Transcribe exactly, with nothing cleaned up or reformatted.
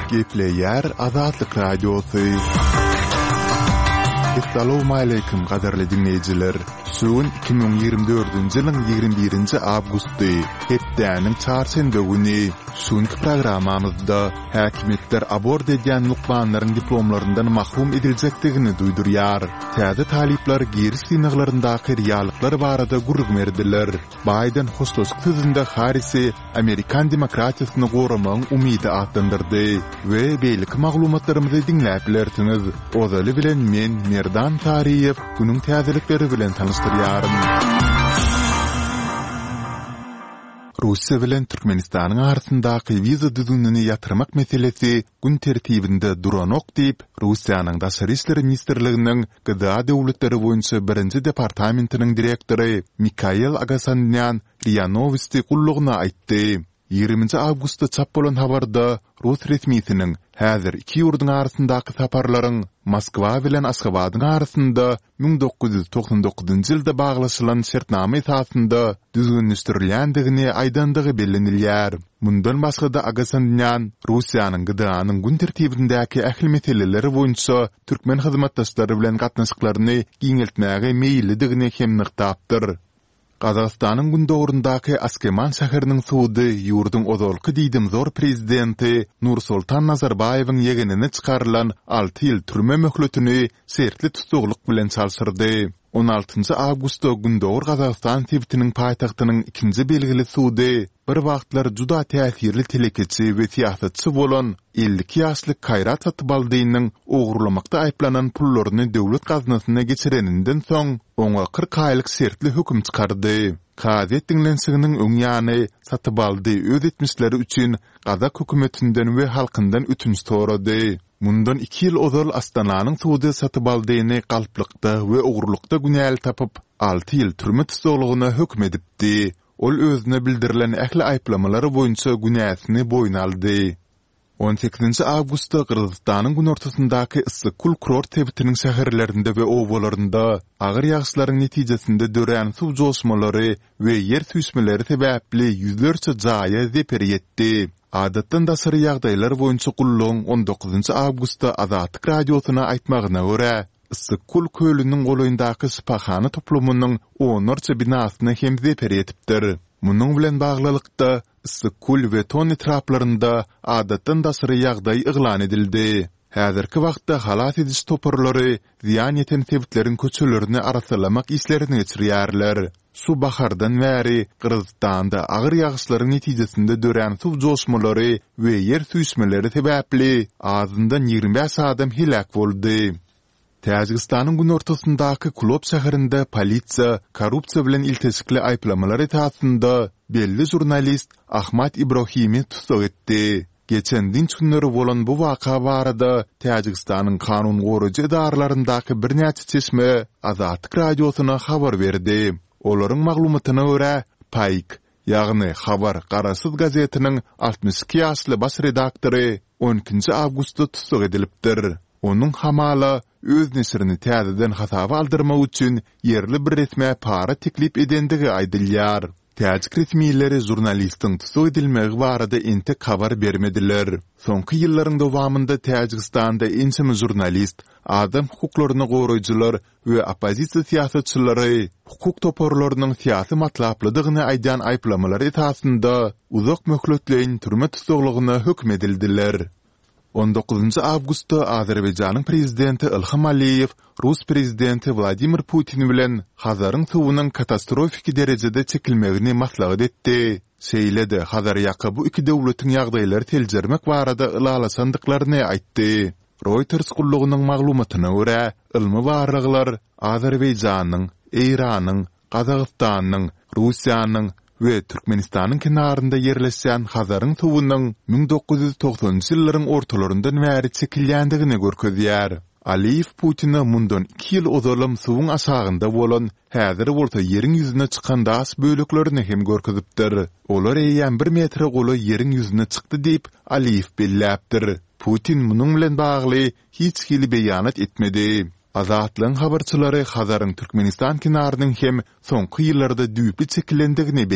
Gepleýär Azatlyk Radiosy. Essalawmaleýkim gadyrly diňleýjiler! Şu gün iki müň ýigrimi dördünji ýylyň ýigrimi birinji awgusty, hepdäniň çarşenbe güni. Şu günki programmamyzda häkimiýetler abort edýän lukmanlaryň diplomlaryndan mahrum ediljekdigini duýdurýar. Täze talyplar giriş synaglaryndaky reallyklar barada gürrüň berdiler. Baýden hoşlaşyk sözünde Harrisi amerikan demokratiýasyny goramagyň umydy atlandyrdy we beýleki maglumatlarymyzy diňläp bilersiňiz. Ozaly bilen men, Merdan Saryýew, günüň täzelikleri bilen tanyşdyrýaryn. Russiýa bilen Türkmenistanyň arasyndaky wiza düzgünini ýatyrmak meselesi gün tertibinde duranok diýip, Russiýanyň Daşary işler ministrliginiň G D A döwletleri boýunça birinji departamentiniň direktory Mikael Agasanýan RIA Nowosti gullugyna aýtdy. Ýigriminji awgustda çap bolan habarda rus resmisiniň häzir iki ýurduň arasyndaky saparlaryň Moskwa bilen Aşgabadyň arasynda müň dokuz ýüz togsan dokuzynjy ýylda baglaşylan şertnama esasynda düzgünleşdirilýändigini aýdandygy bellenilýär. Mundan başga-da Agasanýan Russiýanyň G D A-nyň gün tertibindäki ähli meseleleri boýunça türkmen hyzmatdaşlary bilen gatnaşyklaryny giňeltmäge meýillidigini hem nygtapdyr. Gazagystanyň gündogaryndaky Askeman şäheriniň sudy ýurduň ozalky diýdimzor prezidenti Nursoltan Nazarbaýewiň ýegenine çykarylan alty ýyl türme möhletini şertli tussaglyk bilen çalşyrdy. On altynjy awgustda Gündogar Gazagystan sebitiniň paýtagtynyň ikinji belgili sudy bir wagtlar juda täsirli telekeçi we syýasatçy bolan elli iki ýaşly Kaýrat Satybaldynyň ogurlamakda aýyplanan pullaryny döwlet gaznasyna geçireninden soň, oňa kyrk aýlyk şertli höküm çykardy. Kazyýet diňlenişiginiň öň ýany Satybaldy öz etmişleri üçin gazak hökümetinden we halkyndan ötünç sorady. Mundan iki ýyl ozal Astananyň sudy Satybaldyny galplykda we ogurlykda günäli tapyp, alty ýyl türme tussaglygyna höküm edipdi. Ol özüne bildirilen ähli aýyplamalar boýunça günäsini boýun aldy. On sekizinji awgustda Gyrgyzystanyň günortasyndaky Yssyk-Kul kurort sebitiniň şäherlerinde we obalarynda agyr ýagyşlaryň netijesinde dörän suw joşmalary we ýer süýşmeleri sebäpli ýüzlerçe jaýa zeper ýetdi. Adatdan daşary ýagdaýlar boýunça gullugyň on dokuzynjy awgustda Azatlyk Radiosyna aýtmagyna görä, Yssyk-Kul kölüniň golaýyndaky şypahana toplumynyň onlarça binasyna hem zeper ýetipdir. Munuň bilen baglylykda, Yssyk-Kul we Ton etraplarynda adatdan daşary ýagdaý yglan edildi. Häzirki wagtda halas ediş toparlary zyýan ýeten sebitleriň köçelerini arassalamak işlerini geçirýärler. Şu bahardan bäri Gyrgyzystanda agyr ýagyşlaryň netijesinde dörän suw joşmalary we ýer süýşmeleri sebäpli azyndan ýigrimi bäş adam heläk boldy. Täjigistanyň günortasyndaky Kulob şäherinde polisiýa korrupsiýa bilen ilteşikli aýyplamalar esasynda belli žurnalist Ahmad Ibrohimi tussag etdi. Geçen dynç günleri bolan bu waka barada Täjigistanyň kanun goraýjy edaralaryndaky birnäçe çeşme Azatlyk Radiosyna habar berdi. Olaryň maglumatyna görä, Paýk, ýagny Habar garaşsyz gazetiniň altmyş iki ýaşly baş redaktory on ikinji awgustda tussag edilipdir. Onuň hamala öz neşirini täzeden hasaba aldyrmak üçin ýerli bir resmä para teklip edendigi aýdylýar. Täjik resmileri žurnalistiň tussag edilmegi barada entek habar bermediler. Soňky ýyllaryň dowamynda Täjigistanda ençeme žurnalist, adam hukuklaryny goraýjylar we oppozisiýa syýasatçylary hukuk toparlarynyň syýasy matlaplydygyny aýdýan aýyplamalar esasynda uzak möhletleýin türme tussaglygyna höküm edildiler. On dokuzynjy awgustda Azerbaýjanyň prezidenti Ilham Aliýew rus prezidenti Wladimir Putin bilen Hazaryň suwunyň katastrofiki derejede çekilmegini maslahat etdi, şeýle-de Hazarýaka bu iki döwletiň ýagdaýlary seljermek barada ylalaşandyklaryny aýtdy. Reuters gullugynyň maglumatyna görä, ylmy barlaglar Azerbaýjanyň, Eýranyň, Gazagystanyň, Russiýanyň we Türkmenistanyň kenarynda ýerleşýän Hazaryň suwunyň müň dokuz ýüz togsanynjy ýyllaryň ortalaryndan bäri çekilýändigini görkezýär. Aliýew Putine mundan iki ýyl ozalam suwuň aşagynda bolan, häzir bolsa ýeriň ýüzüne çykan daş böleklerini hem görkezipdir. Olar eýýäm bir metre golaý ýeriň ýüzüne çykdy diýip, Aliýew belläpdir. Putin munuň bilen bagly hiç hili beýanat etmedi. Azatlygyň habarçylary Hazaryň Türkmenistan kenarynyň hem soňky ýyllarda düýpli çekilendigini